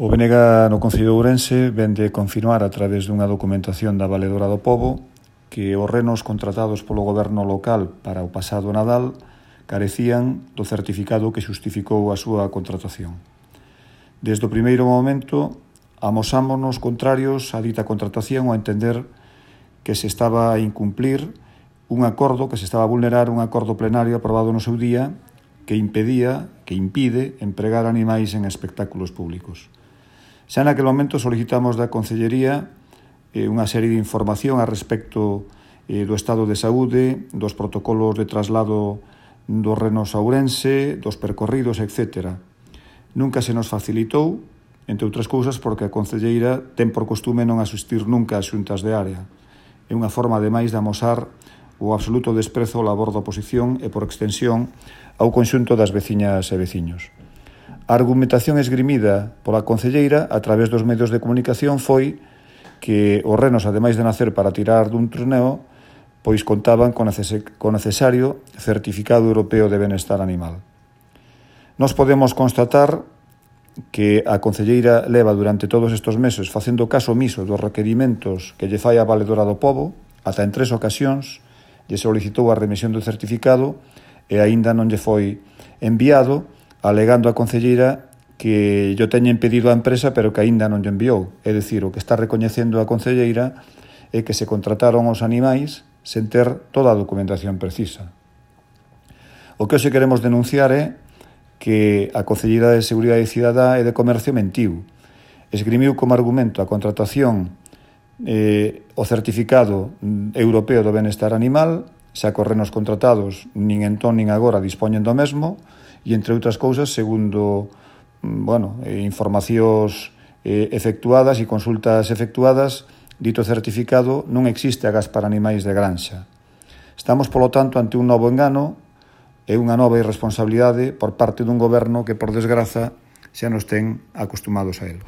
O BNG no Concello de Ourense vén de confirmar a través dunha documentación da Valedora do Pobo que os renos contratados polo goberno local para o pasado Nadal carecían do certificado que xustificou a súa contratación. Desde o primeiro momento amosámonos contrarios á dita contratación ao entender que se estaba a incumplir un acordo, que se estaba a vulnerar un acordo plenario aprobado no seu día que impide empregar animais en espectáculos públicos. Xa naquele momento solicitamos da Concellería unha serie de información a respecto do estado de saúde, dos protocolos de traslado dos renos a Ourense, dos percorridos, etc. Nunca se nos facilitou, entre outras cousas, porque a Concelleira ten por costume non asistir nunca ás xuntas de área. É unha forma, ademais, de amosar o absoluto desprezo ao labor da oposición e, por extensión, ao conxunto das veciñas e veciños. A argumentación esgrimida pola Concelleira a través dos medios de comunicación foi que os renos, ademais de nacer para tirar dun trineo, pois contaban con necesario certificado europeo de benestar animal. Nós podemos constatar que a Concelleira leva durante todos estes meses facendo caso omiso dos requerimentos que lle fai a Valedora do Pobo, ata en 3 ocasións lle solicitou a remisión do certificado e aínda non lle foi enviado, alegando a Concelleira que yo teñen pedido á empresa pero que aínda non lle enviou. É dicir, o que está recoñecendo a Concelleira é que se contrataron os animais sen ter toda a documentación precisa. O que hoxe queremos denunciar é que a Concelleira de Seguridade Cidadá e de Comercio mentiu. Esgrimiu como argumento a contratación o certificado europeo do benestar animal, xa que os renos contratados nin entón nin agora dispoñen do mesmo, e entre outras cousas, segundo informacións efectuadas e consultas efectuadas, dito certificado non existe agás para animais de granxa. Estamos, polo tanto, ante un novo engano e unha nova irresponsabilidade por parte dun goberno que, por desgraza, xa nos ten acostumados a ele.